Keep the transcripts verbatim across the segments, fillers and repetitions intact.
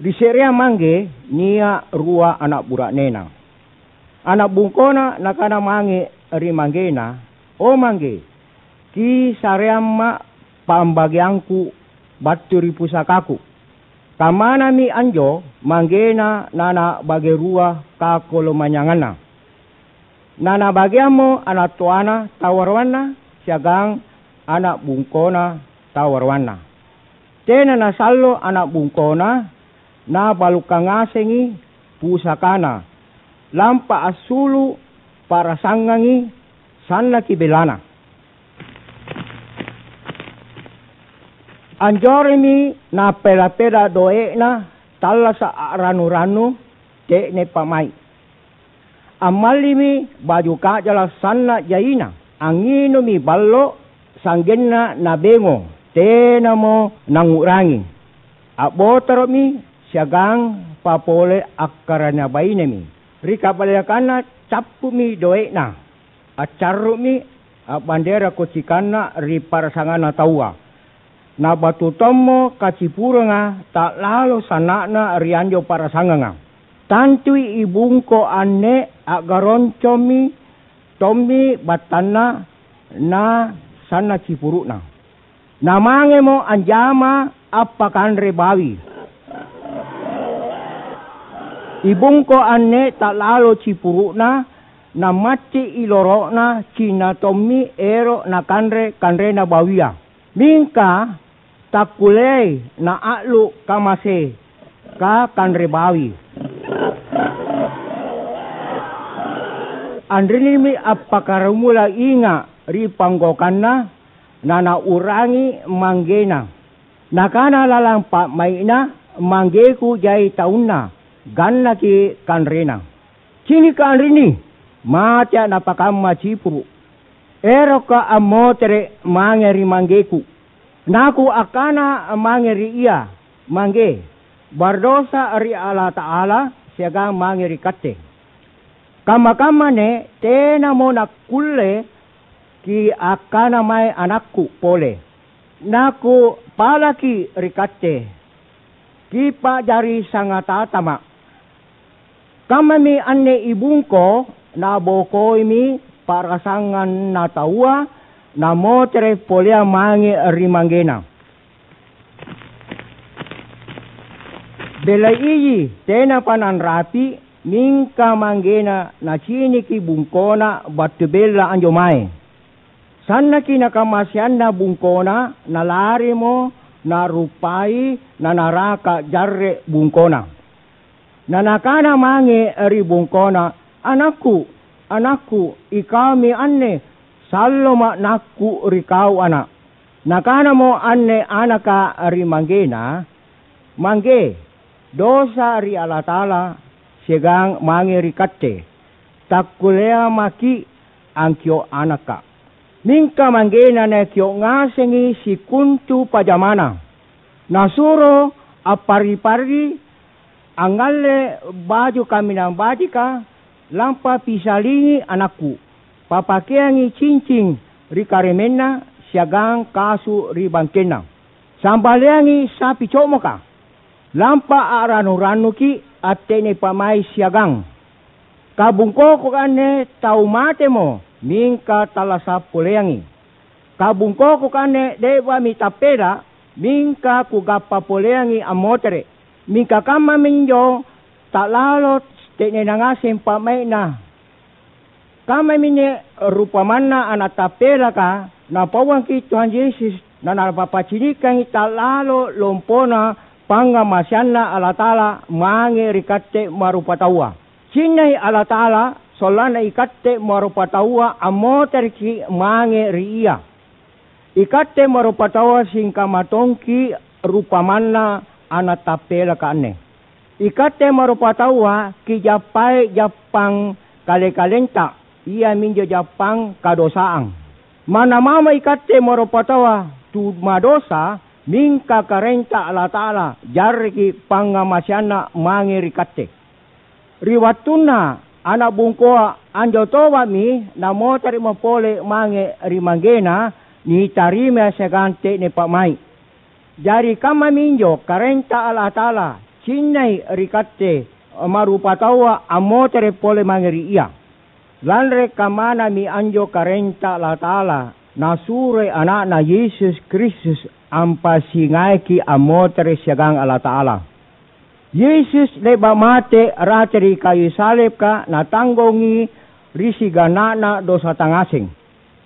Ri se'reang mangge nia' rua ana' bura'nena. Ana' bungkona nakana mange ri manggena, "O mangge, kisareamma' pambageangku battu ri pusakaku." Kammanami anjo manggena nanabage rua kakolomanynyangana. Nanabageammo ana' toana tawaroanna siagang ana' bungkona tawaroanna. Tena nasallo ana' bungkona, nabalukkang ngasengi pusakana, lampa assulu' pa'rasangangi sannaki bellana. Anjoremmi nappela-pela doe'na tallasa' a'rannu-rannu te'ne pa'mai'. Ammallimi baju ka'jala' sanna' jaina, angnginummi ballo', sa'genna nabengo, tenamo nangngu'rangi. A'botoro'mi siagang papole akkaraenna bainemi. Ri kabalekanna cappu'mi doe'na, accarru'mi a'bandera kocikanna ri pa'rasanganna taua. Nabattu tommo kacipuranga ta'lalo sanna'na ri anjo pa'rasanganga. Tantui ibungko anne a'garoncommi tommi battanna na sanna' cipuru'na. Namangemo anjama appakanre bawi. Ibungko anne ta'lalo cipuru'na, namatti' iloro'na cinna tommi ero' nakanre kanrena bawia. Mingka takkulleai naa'lu' kamaseka kanre bawi. Anrinimi appakkaramula inga' ri panggaukanna, nanau'rangi manggena. Nakana lalang pa'mai'na, "Manggeku jai taunna, gannaki kanrena. Cinika' anrinni, matea' napakamma cipuru'. Erokka' ammotere' mange ri manggeku. Naku akkana mange ri ia, 'Mangge, bardosa ri Allata'ala siagang mange ri katte.' Kamma-kamma anne tenamo nakkulle kiakkana mae anakku pole. Nakupalaki ri katte, kipa'jari sangatatama'." Kammami anne ibungko, nabokoimi pa'rasanganna taua, namotere' poleang mange ri manggena. Bella iji tenapa nanrapi', mingka manggena naciniki bungkona battu bella anjo mae. Sannaki nakamaseanna bungkona, nalarimo narupai nanaraka' jarre' bungkona. Nanakana mange ri bungkona, "Anakku, anakku, ikaumi anne, salloma' nakku ri kau ana'." Nakanamo anne anaka ri manggena, "Mangge, dosa ri Allata'ala siagang mange ri katte. Takkulleang maki' angkio' anaka'." Mingka manggena nakio' ngasengi sikontu pajamana. Nasuro apparri-parri, angngalle baju kaminang bajika, lampa pisalingi anakku. Papakeangi cincing ri karemenna siagang kasu' ri bangkenna. Sambaleangi sapi co'moka. Lampa a'rannu-rannuki' atte'ne pa'mai' siagang. Kabungkoko anne tau matemo, mingka tallasa' poleangi. Kabungkoko anne le'ba'mi tappela', mingka kugappa poleangi ammotere'. Mingka kammaminjo ta'lalo te'nena ngaseng pa'mai'na. Kammaminne rupamanna ana' tappelaka Napauangki' Tuhan Yesus, na Napapacinikangi ta'lalo lompona pangngamaseanNa Allata'ala mange ri katte ma'rupataua. Cinnai Allata'ala sollanna ikatte ma'rupataua ammotereki' mange ri Ia. Ikatte ma'rupataua singkamma tongki' rupamanna ana' tappelaka anne. Ikatte ma'rupataua kijappai jappang kale-kalenta, iaminjo jappang kadosaang. Manna mamo ikatte ma'rupataua tu madosa, mingka Karaenta Allata'ala jarreki' pangngamaseanNa mange ri katte. Ri wattunna ana' bungkoa anjo toba'mi namotere'mo pole mange ri manggena, nitarimai siagang te'ne pa'mai'. Jari kammaminjo Karaenta Allata'ala, Cinnai ri katte, ma'rupataua ammotere’ pole mange ri Ia. Lanri kammanami anjo karaenta Allata'ala, Nasuroi Ana'Na Yesus Kristus ampasingaiki ammotere’ siagang Allata'ala. Yesus le'ba’ mate rate ri kayu saleka natanggongi ri sigana'na dosata ngaseng.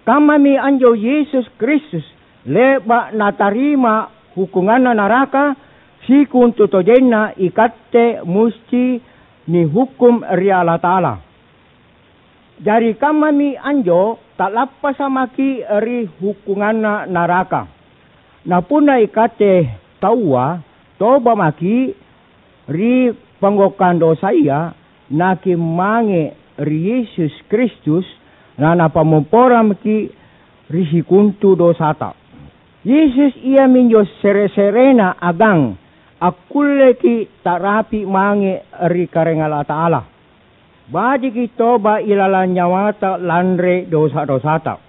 Kammami anjo Yesus Kristus le'ba’ natarima hukunganna naraka, sikontutojenna ikatte musti nihukkung ri Allata'ala. Jari kammami anjo, ta'lappasa’ maki’ ri hukunganna naraka. Na punna ikatte taua toba’ maki’ ri panggaukkang dosaya, nakimmange ri Yesus Kristus, na Napammopporamaki’ ri sikontu dosata. Yesus iaminjo sere-serena agang akkulleki’ ta'rapi’ mange ri Karaeng Allata'ala. Bajiki toba’ ilalang nyawata lanri dosa-dosata.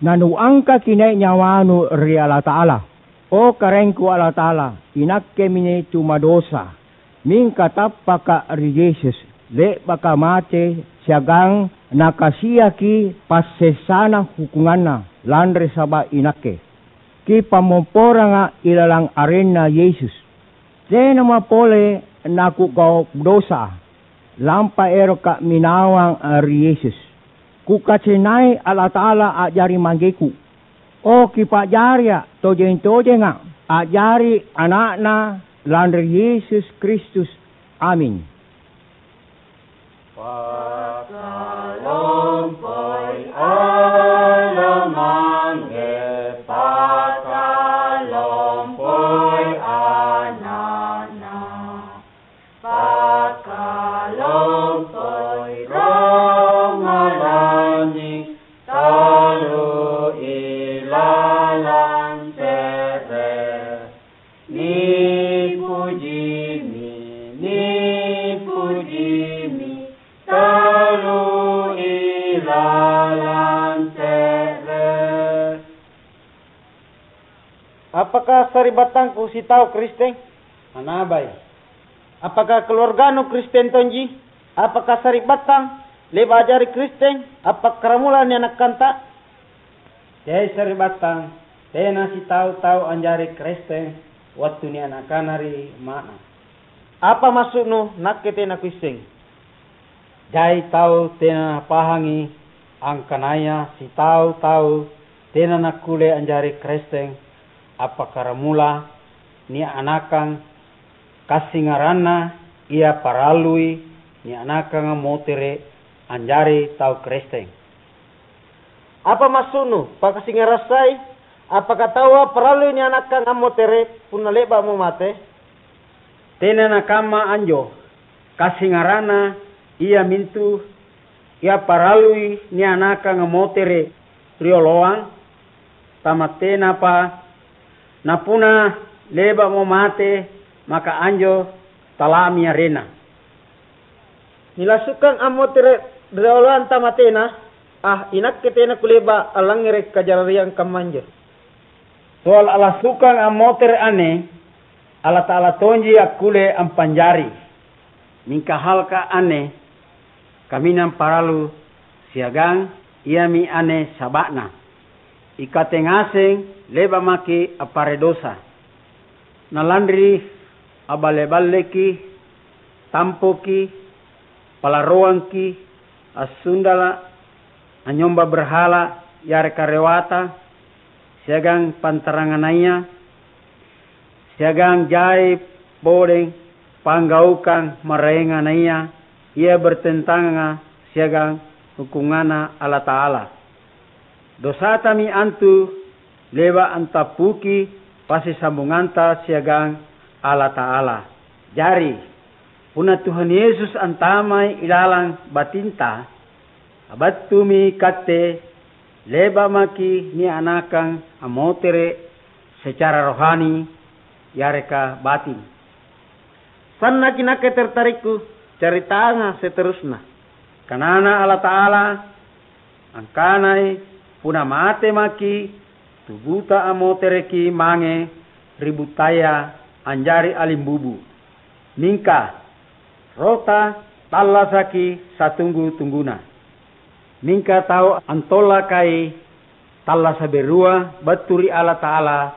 Nanuangkaki nai’ nyawanu ri Allata'ala. O Karaengku Allata'ala, inakkemi tu madosa, mingka tappaka’ ri Yesus, le'baka mate siagang Nakasiaki passessana hukunganna lanri saba’ inakke. Kipammopporanga’ ilalang arenNa Yesus. Tenamo pole nakugau’ dosa, lampa eroka’ minawang ri Yesus. Kukacennai Allata'ala a'jari Manggeku. O kipa'jaria’ tojeng-tojenga’ a'jari ana'Na lanri Yesus Kristus. Aming. Pakalompoi Allo Mangge, pakalompoi Ana'Na, pakalompoi Roma Lanynying, talu ilalang se're. Nipujimi, nipujimi, talu ilalang se're. Apakah sari'battangku sitau Kristeng? Anabai. Apakah keluarganu Kristen tonji? Apakah sari'battang le'ba’ a'jari Kristeng appakkaramula nianakkanta? Teai sari'battang, tena sitau tau anjari Kristeng wattu nianakana ri amma'na. Apa massu'nu nakke tena kuisseng? Jai tau tena napahangi angkanaya sitau tau tena nakkulle anjari Kristeng appakkaramula nianakang kassingaranna ia parallui nianakang ammotere’ anjari tau Kristeng. Apa massu'nu, pakasingarassai? Apaka taua parallui nianakang ammotere’ punna le'ba'mo mate? Tena nakamma anjo. Kassingaranna iamintu ia parallui nianakang ammotere’ rioloang, tamattenapa napunna le'ba'mo mate, maka anjo tala'mi arenna. Nilassukang ammotere’ rioloang tamatena? Ah, inakke tena kule'ba’ allangngere’ kajariang kammanjo. Soal alassukang ammotere’ anne, Allata'ala tonji akkulle ampanjari. Mingka halka’ anne kaminang parallu siagang iami anne saba'na. Ikatte ngaseng le'ba’ maki’ appare dosa. Na lanri aballe-balleki, tampoki, palaroangki, assundala’, anynyomba berhala yareka rewata, siagang pantaranganaya, siagang jai podeng panggaukang maraenganaya ia bertentangang siagang hukunganNa Allata'ala. Dosatami antu le'ba’ antappuki passisambunganta siagang Allata'ala. Jari, punna Tuhan Yesus antamai ilalang batinta, battumi katte le'ba’ maki’ nianakang ammotere’ secara rohani yareka batin. Sannaki nakke tertarikku caritanga seterusna. Kanana Allata'ala, angkanai, "Punna mate maki’, tubuta ammotereki mange ri buttaya anjari alimbubu." Mingka rota tallasaki satunggu-tungguna. Mingka tau antollakai tallasa' berua battu ri Allata'ala,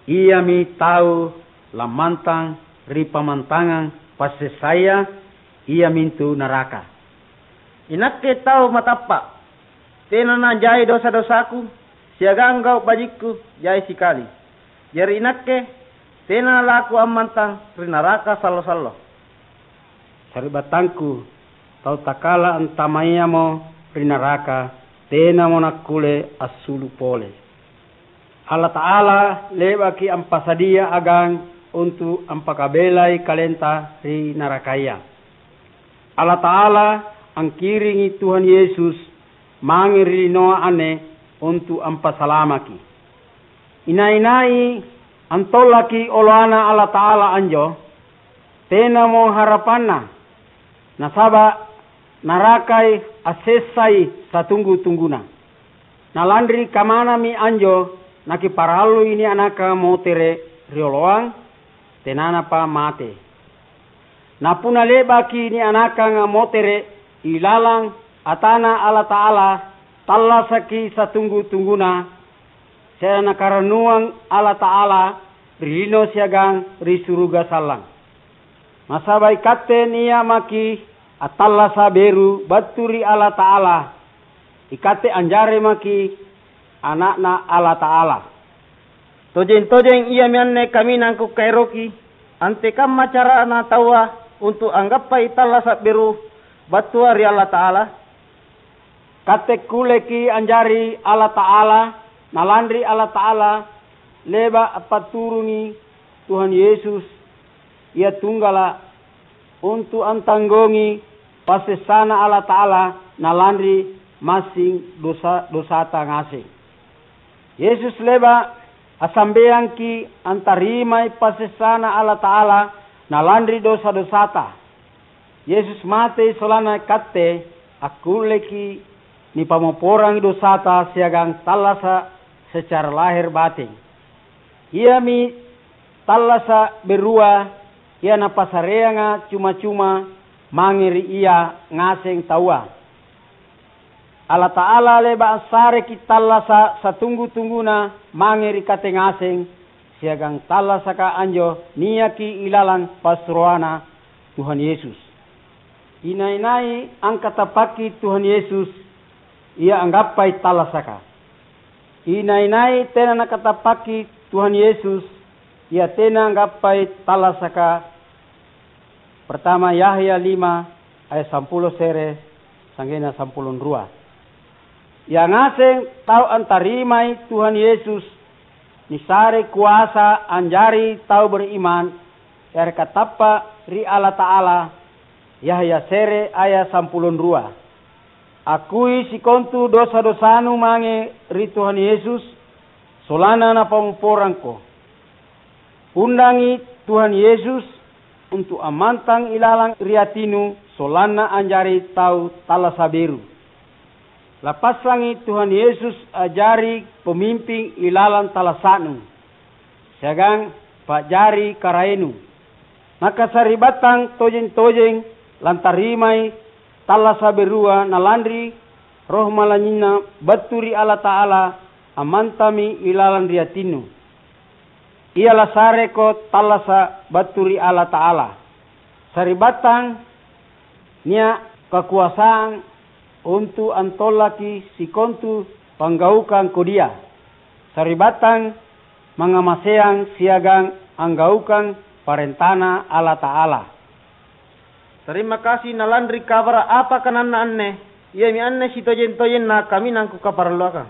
iami tau lammantang ri pammantangang passessaya, iamintu naraka. Inakke tau matappa', tena najai dosa-dosaku, siagang gau' bajikku jai sikali. Jari inakke tena lakuammantang ri naraka sallo-sallo. Sari'battangku, tau takala antamayamo ri naraka, tenamo nakkulle assulu' pole. Allata'ala le'baki ampasadia agang untu' ampakabelai kalenta ri narakaya. Allata'ala angkiringi Tuhan Yesus mange ri linoa anne untu' ampasalamaki. Inai-nai antollaki oloaNa Allata'ala anjo, tenamo harapanna, nasaba' narakai assessai satunggu-tungguna. Na lanri kamanami anjo nakiparallui nia'naka motere' rioloang, tenanapa mate. Na punna le'baki nia'nakanga motere' ilalang ata'Na Allata'ala, tallasaki satunggu-tungguna, se're Nakarannuang Allata'ala ri lino siagang ri suruga sallang. Nasaba' ikatte nia' maki' attallasa' beru battu ri Allata'ala, ikatte anjari maki' ana'Na Allata'ala. Tojeng-tojeng iami anne kaminang kukaeroki, antekamma carana taua untu' anggappai tallasa' beru battua ri Allata'ala? Katte kulleki anjari Allata'ala, na lanri Allata'ala le'ba' ampatturungi Tuhan Yesus, Ia tunggala', untu' antanggongi passessana Allata'ala na lanri massing dosa-dosata ngaseng. Yesus le'ba' assambeangki' antarimai passessana Allata'ala na lanri dosa-dosata. Yesus matei sollanna ikatte akkulleki' nipammopporangi dosata siagang tallasa' secara lahir bating. Iami tallasa' berua ia Napassareanga cuma-cuma mange ri Ia ngaseng taua. Allata'ala le'ba' assareki' tallasa' satunggu-tungguna mange ri kate ngaseng, siagang tallasaka anjo niaki ilalang passuroaNa Tuhan Yesus. Inai-nai angkatappaki Tuhan Yesus, ia anggappai tallasaka. Inai-nai tena nakatappaki Tuhan Yesus, ia tena anggappai tallasaka. Pertama Yahya lima ayat sampulo se're, sa'genna sampulo rua. Ia ngaseng tau antarimai Tuhan Yesus, nisare koasa anjari tau beriman, yareka tappa' ri Allata'ala, Yahya se're ayat sampulo rua. Akkui sikontu dosa-dosanu mange ri Tuhan Yesus, sollanna Napammopporangko. Undangi Tuhan Yesus untu' ammantang ilalang ri atinu sollanna anjari tau tallasa' beru. Lapassangi Tuhan Yesus a'jari pamimping ilalang tallasa'nu, siagang pa'jari karaenu. Nakasari'battang tojeng-tojeng lantarimai tallasa' berua na lanri Roh Malanynyina battu ri Allata'ala ammantami ilalang ri atinnu. Ia lasareko tallasa' battu ri Allata'ala. Sari'battang nia' kakoasang untu' antollaki sikontu panggaukang kodia. Sari'battang mangngamaseang siagang anggaukang parentaNa Allata'ala. Tarima kasi na lanri kabara' apa kananna anne, iami anne sitojeng-tojenna kaminang kukaparalluakang.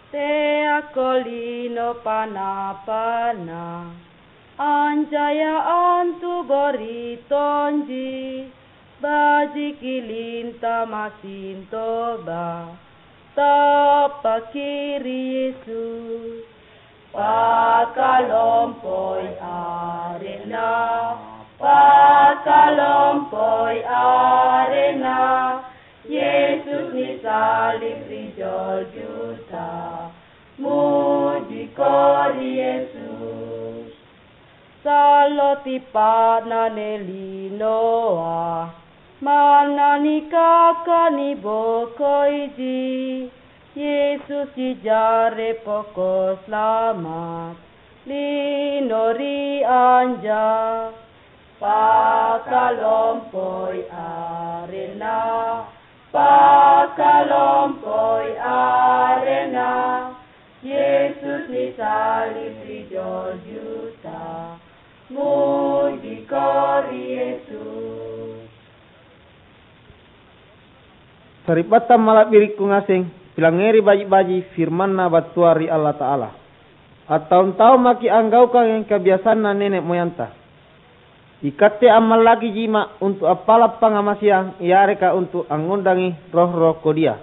Teako lino pana-pana, ancaya antu gori tonji, bajiki linta massing toba, tappaki ri Yesus. Pakalompoi arenna, pakalompoi arenna, Yesus nisalib ri Golgota, mujiko ri Yesus. Sallo tippa'na nelinoa, manna nikaka nibokoiji, Yesus sijare poko slamat, lino ri anja. Pakalompoi arenna, pakalompoi arenna, Yesus nisalib ri Golgota. Mujiko ri Yesus. Sari'battang mala'birikku ngaseng, pilangngeri baji'-baji' firmanNa battua ri Allata'ala. Attaung-taung maki' anggaukangi kabiasanna nene' moyanta. Ikatte ammallakijima' untu' appala' pangngamaseang yareka untu' angngondangi roh-roh kodia.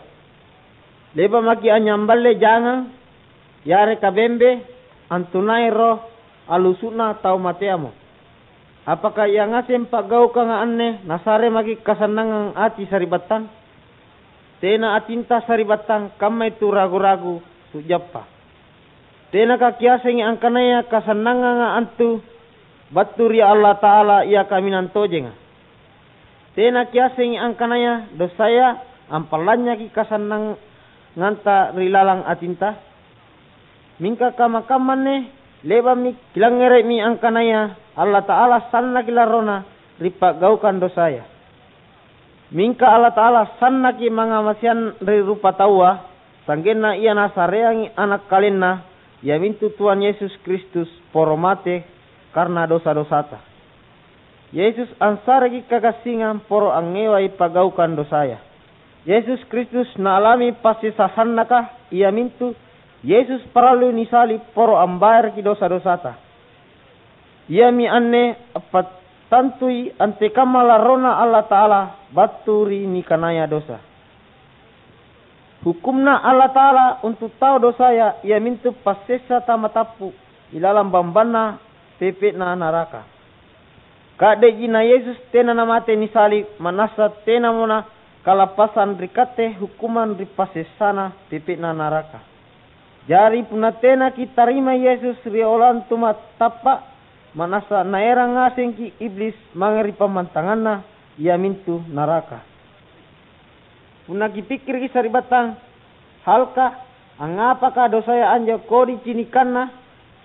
Le'ba' maki' anynyamballe jangang yareka bembe antunai roh allusu'na tau mateamo. Apaka ia ngaseng pa'gaukanga anne nasare maki' kasannangang ati sari'battang? Tena atinta sari'battang kammai tu ragu-ragu, tu jappa. Tenaka kiassengi angkanaya kasannanganga antu battu ri Allata'ala Ia kaminang tojenga. Tena kiassengi angkanaya dosaya ampallanynyaki kasannanganta ri lalang atinta? Mingka kamma-kamma anne le'ba'mi kilangngere'mi angkanaya Allata'ala sannaki larrona ri pa'gaukang dosaya. Mingka Allata'ala sannaki mangngamaseang ri rupataua, sa'genna Ia Nasareangi Ana' KalenNa, iamintu Tuhan Yesus Kristus, poro mate karna dosa-dosata. Yesus ansareki kagassingang poro angngewai pa'gaukang dosaya. Yesus Kristus naalami passessa sannaka, iamintu Yesus parallui nisalib poro ambayaraki dosa-dosata. Iami anne appattantui antekamma larrona Allata'ala battu ri nikanaya dosa. Hukkunna Allata'ala untu' tau dosaya iamintu passessa tamatappu' ilalang bambanna pepe'na naraka. Ka'de'ji na Yesus tena namate nisalib, ma'nassa tenamo nakalappasang ri katte hukkumang ri passessana pepe'na naraka. Jari punna tena kitarimai Yesus ri oloang tumatappa', ma'nassa naerang ngasengki' Iblis mange ri pammantanganna, iamintu naraka. Punna kipikkiriki sari'battang, halka, angngapaka dosaya anjo kodi cinikanna,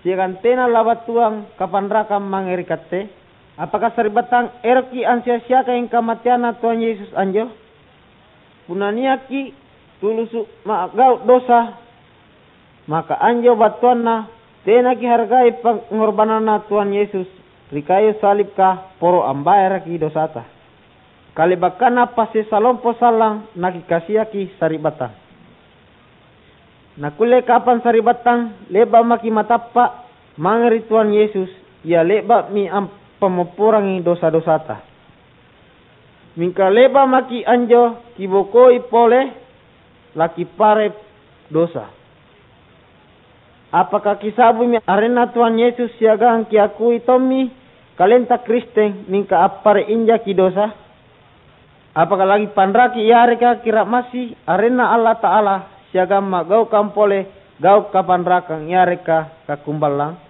siagang tena labattuang kapanrakang mange ri katte? Apaka sari'battang erokki' ansia-siakangi kamateanNa Tuang Yesus anjo? Punna nia'ki' tulusu' ma'gau' dosa, maka anjo battuanna tena kihargai pangngorbananNa Tuang Yesus ri kayu salibka poro ambayaraki dosata. Kale'bakkanna passessa lompo sallang nakikasiaki sari'battang. Nakkulle kapang sari'battang le'ba' maki' matappa' mange ri Tuang Yesus, Ia le'ba'mi ampammopporangi dosa-dosata. Mingka le'ba' maki' anjo kibokoi pole, lakipare' dosa. Apaka kisa'bumi arenNa Tuhan Yesus siagang kiakui tommi kalenta Kristeng, mingka appare' injaki dosa? Apaka lakipanraki yareka kira'masi arenNa Allata'ala siagang ma'gaukang pole gau' kapanrakang yareka kakumballang?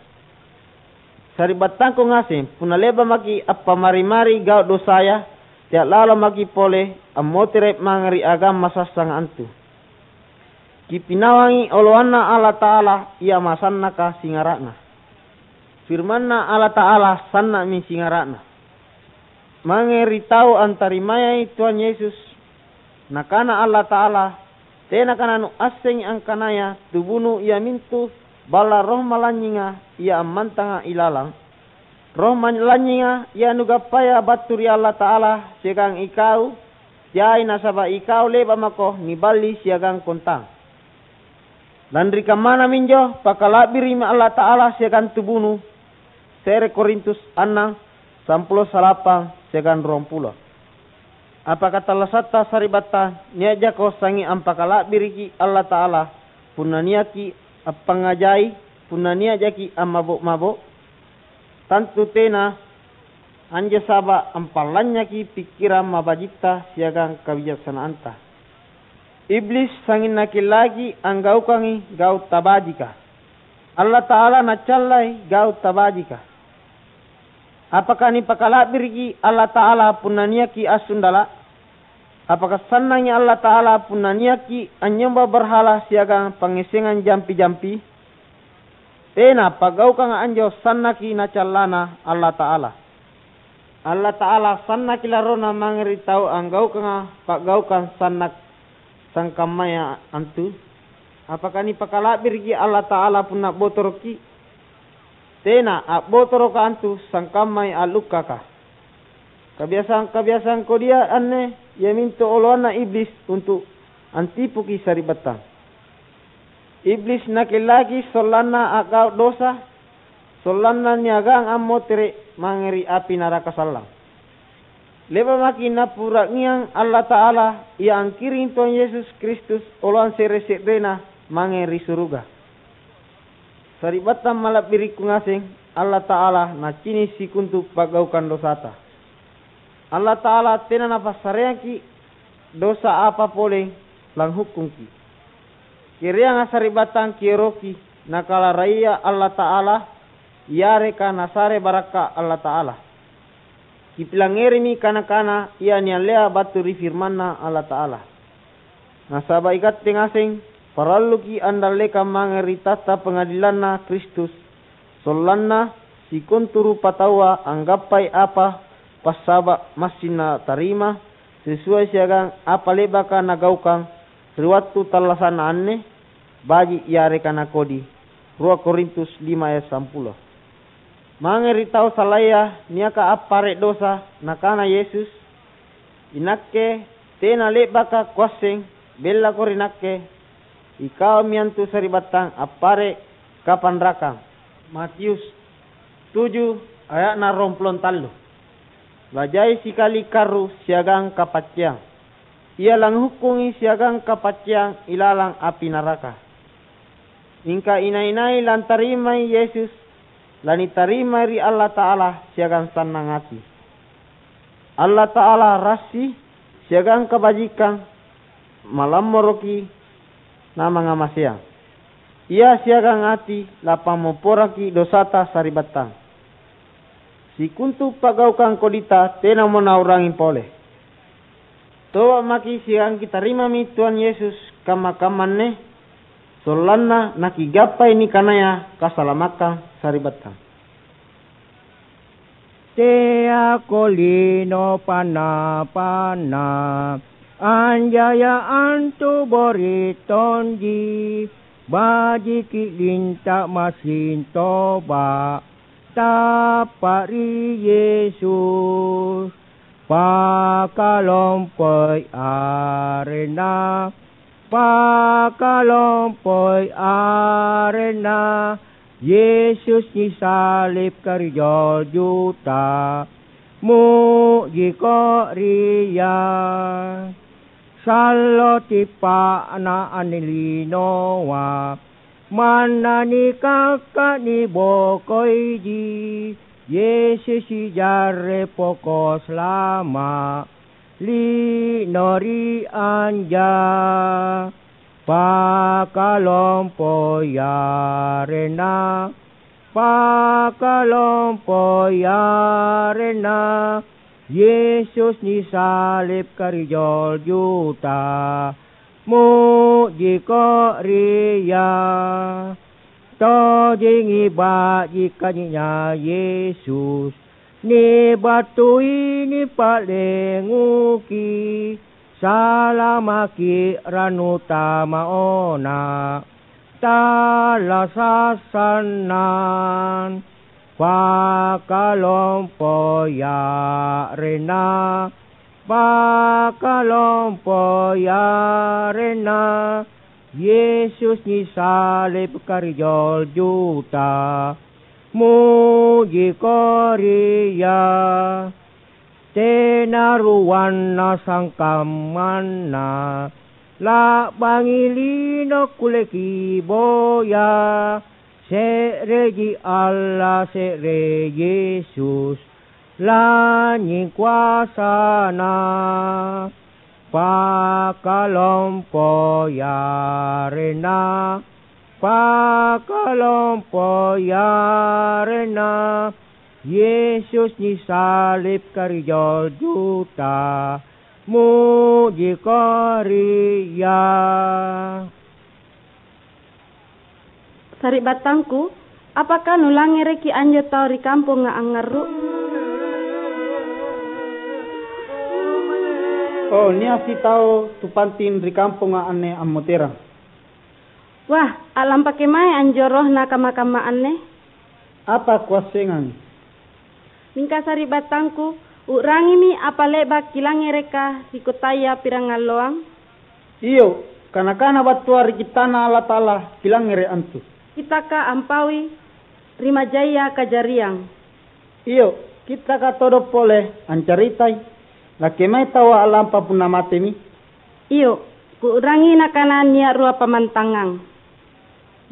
Sari'battangku ngaseng, punna le'ba' maki' appamari-mari gau' dosaya, tea' lalo maki' pole ammotere' mange ri agama sassanga antu. Kipinawangi oloanNa Allata'ala Ia masannaka singara'na. FirmanNa Allata'ala sanna'mi singara'na. Mange ri tau antarimayai Tuhan Yesus, Nakana Allata'ala, "Tenaka nanuassengi angkanaya tubunu iamintu balla' Roh Malanynyinga Ia ammantanga ilalang? Roh Malanynyinga Ia nugappaya battu ri Allata'ala siagang ikau teai, nasaba' ikau le'ba' mako niballi siagang kontang." Lanri kammana minjo pakala'biri'mi Allata'ala siagang tubunu, se're Korintus annang, sampulo salapang siagang ruampulo. Apa katallasatta sari'battang, nia' jako sangi ampakala'biriki Allata'ala, punna niaki appangngajai, punna nia' jaki ammabo'-mabo'? Tantu tena! Anjo saba' ampallanynyaki pikkirang mabajitta siagang kabijaksanaanta. Iblis sangnging nakellaki anggaukangi gau' tabajika. Allata'ala naccallai gau' tabajika. Apaka nipakala'biriki Allata'ala punna niaki assundala'? Apaka sannangi Allata'ala punna niaki anynyomba barhala siagang pangngissengang jampi-jampi? Tena pa'gaukanga anjo sannaki na callana Allata'ala. Allata'ala sannaki larrona mange ri tau anggaukanga pa'gaukang sannak-, sangkammaya antu? Apaka nipakala'biriki Allata'ala punna a'botoroki? Tena, a'botoroka antu sangkammai a'lukkaka. Kabiasang-kabiasang kodia anne iamintu oloanna Iblis untu' antipuki sari'battang. Iblis nakellaki sollanna a'gau' dosa, sollanna niagang ammotere' mange ri api naraka sallang. Le'ba' maki' Napura'ngiang Allata'ala ia angkiring Tuang Yesus Kristus oloang se're-se'rena mange ri suruga. Sari'battang mala'birikku ngaseng, Allata'ala nacini' sikontu pa'gaukang dosata. Allata'ala tena Napassareangki' dosa apa pole langhukkungki'. Kereanga sari'battang kieroki Nakalaraya Allata'ala yareka Nasare barakka' Allata'ala. Kipilangngerimi kana-kana ia niallea battu ri firmanNa Allata'ala. Nasaba' ikatte ngaseng paralluki' andallekang mange ri tahta pangadilanNa Kristus, sollanna sikontu rupataua anggappai apa passaba' massing natarima sesuai siagang apa le'baka nagaukang ri wattu tallasa'na anne, baji' yareka nakodi. Rua Korintus lima ayat sampulo. Mange ri tau salaya niaka appare' dosa, Nakana Yesus, "Inakke tena le'baka Kuasseng, bellako ri Nakke, ikaumi antu sari'battang appare' kapanrakang." Matius tuju aya'na ruampulo tallu. Lajai sikali karru siagang kapacceang. Ia langhukkungi siagang kapacceang ilalang api naraka. Mingka inai-nai lantarimai Yesus, lanitarimai ri Allata'ala siagang sannang ati. Allata'ala rassi siagang kabajikang, malammoroki, namangngamaseang. Ia siagang ati lapammopporangki' dosata sari'battang. Sikontu pa'gaukang kodita tenamo nau'rangi pole. Toba' maki' siagang kitarimami Tuhan Yesus kamma-kamma anne, sollanna nakigappai nikanaya kasalamakkang sari'battang. Teako lino panna-panna, anjaya antu bori' tonji, bajiki' linta' massing toba', tappa' ri Yesus, pakalompoi arenna. Pakalompoi arenna, Yesus nisalib karijoljuta, mu'jiko ri Ia. Sallo tippa'na anne linoa, manna nikakka' nibokoiji, Yesus sijarre poko salama'. Lino ri anja, pakalompoi arenna, pakalompoi arenna, Yesus nisalib karijoljuta, mu'jiko ri Ia. Tojengi baji' kanynya'Na Yesus, nibattui nipa'lenguki, salamaki' rannu tamaona, tallasa' sannang, pakalompoi arenna, pakalompoi arenna, Yesus nisalib karijoljuta, mu'jiko ri Ia. Tena ruanna sangkammanna, la'bangi lino kulleki boya, se'reji Alla, se're Yesus, lanynying koasaNa. Pakalompoi arenna, pakalompoi arenna, Yesus nisalibka ri jol juta, muji Ko ri Ia. Sari'battangku, apaka nulangngereki anjo tau ri kamponga angngarru'? Oh, nia' sitau tu panting ri kamponga anne ammoterang. Wah, a'lampa kemae anjo rohna kamma-kamma anne? Apa kuassengangi? Mingka sari'battangku, u'rangimi apa le'ba' kilangngereka ri kotaya pirangalloang? Iyo, kana-kana battua ri Kittana Allata'ala kilangngere' antu. Kittaka ampaui ri majaya kajariang. Iyo, Kittaka todong pole ancaritai, nakke mae taua a'lampa punna matemi? Iyo, kuu'rangi nakana nia' rua pammantangang.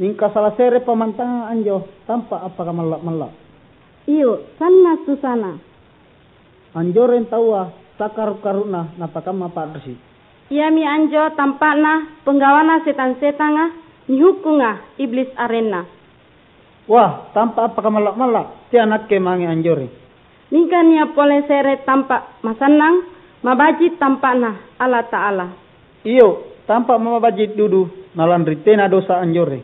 Mingka sala se're pammantangang anjo tampa' appakamalla'-malla'. Iyo, sanna' susana. Anjoreng taua sakaru'-karu'na napakamma pa'risi'. Iami anjo tampa'na penggawana setang-setanga nihukkunga Iblis arenna. Wah, tampa' appakamalla'-malla', tea nakke mange anjoreng. Mingka nia' pole se're tampa' masannang, mabaji' tampa'Na Allata'ala. Iyo, tampa' mabaji' dudu, nalanri tena dosa anjoreng.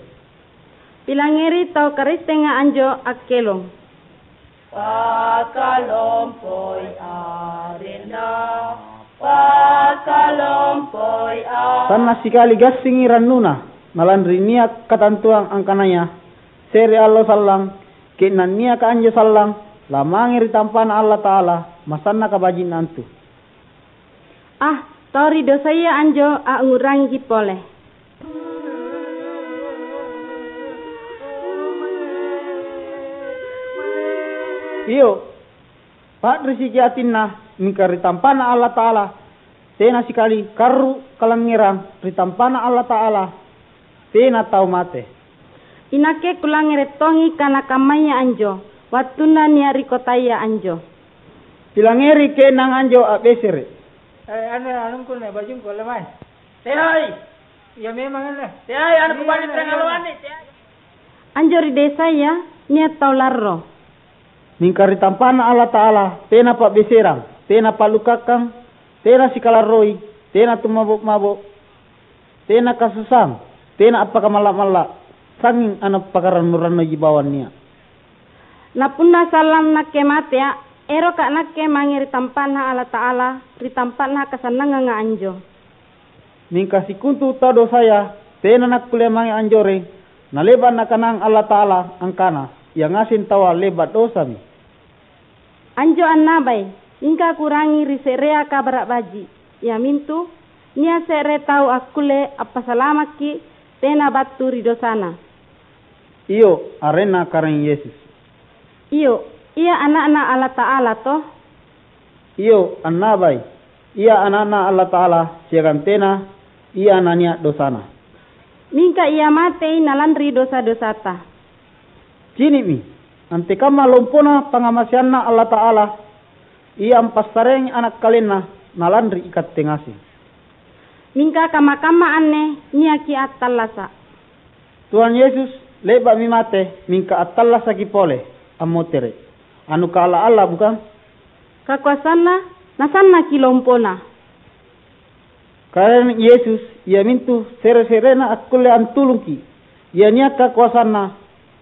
Pilangngeri tau Karistenga anjo akkelong. Pakalompoi arenna, pakalompoi a- Sanna' sikali gassingi rannuna, nalanri nia' katantuang angkanaya se're allo sallang, ke'nang niaka anjo sallang, lamange ri tampa'Na Allata'ala, masanna kabaji'na antu. Ah, tau ri dosaya anjo angngu'rangiki pole. Iyo, pa'risiki atinna, mingka ri tampa'Na Allata'ala, tena sikali karru' kalangngerang ri tampa'Na Allata'ala, tena tau mate. Inakke kulangngere' tongi kana kammaya anjo, wattunna nia' ri kotaya anjo. Pilangngeri ke'nang anjo a'besere'. Eh, anne anungku anne, bajungku, alle mae. Teai! Iya memang anne. Teai, anu kubaji. Iya, iya, prengaluanni, teai. Anjo ri desaya nia' tau larro. Mingka ri tampa'Na Allata'ala, tena pa'beserang, tena pa'lukakkang, tena sikalarroi, tena tumabo'-mabo', tena kasusaang, tena appakamalla'-malla', sangnging anapakarannu-rannuji bawang nia'. Na punna sallang nakke matea, eroka' nakke mange ri tampa'Na Allata'ala, ri tampa'na kasannanganga anjo. Mingka sikontu tau dosaya tena nakkulle mange anjoreng, nale'ba' Nakanang Allata'ala angkana, ia ngaseng taua le'ba' dosami. Anjo annabai, mingka kuu'rangi ri se'rea Kabara' Baji', iamintu, nia' se're tau akkulle appasalamakki tena battu ri dosana. Iyo, arenna Karaeng Yesus. Iyo, Ia Ana'Na Allata'ala to? Iyo, annabai, Ia Ana'Na Allata'ala siagang tena Ia nania' dosana. Mingka Ia matei nalanri dosa-dosata. Cini'mi, antekamma lompona pangngamaseanNa Allata'ala, Ia ampassareangi Ana' KalenNa nalanri ikatte ngaseng. Mingka kamma-kamma anne niaki attallasa'. Tuhan Yesus le'ba'mi mate, mingka attallasaki pole, ammotere'. Anu kaalla-alla, bukang? Kakoasanna nasannaki lompona. Karaeng Yesus iamintu se're-se'rena akkulle antulungki', ia nia' kakoasanna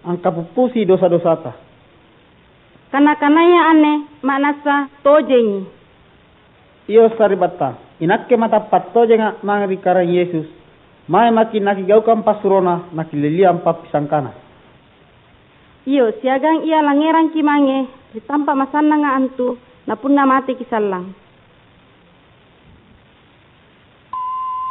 angkapuppusi dosa-dosata. Kana-kanaya anne ma'nassa tojengi. Iyo, sari'battang, inakke matappa' tojenga' mange ri Karaeng Yesus, mae maki' nakigaukang passurona nakilelliang pappisangkana. Iyo, siagang Ia langngerangki' mange ri tampa' masannanga antu, na punna mateki' sallang.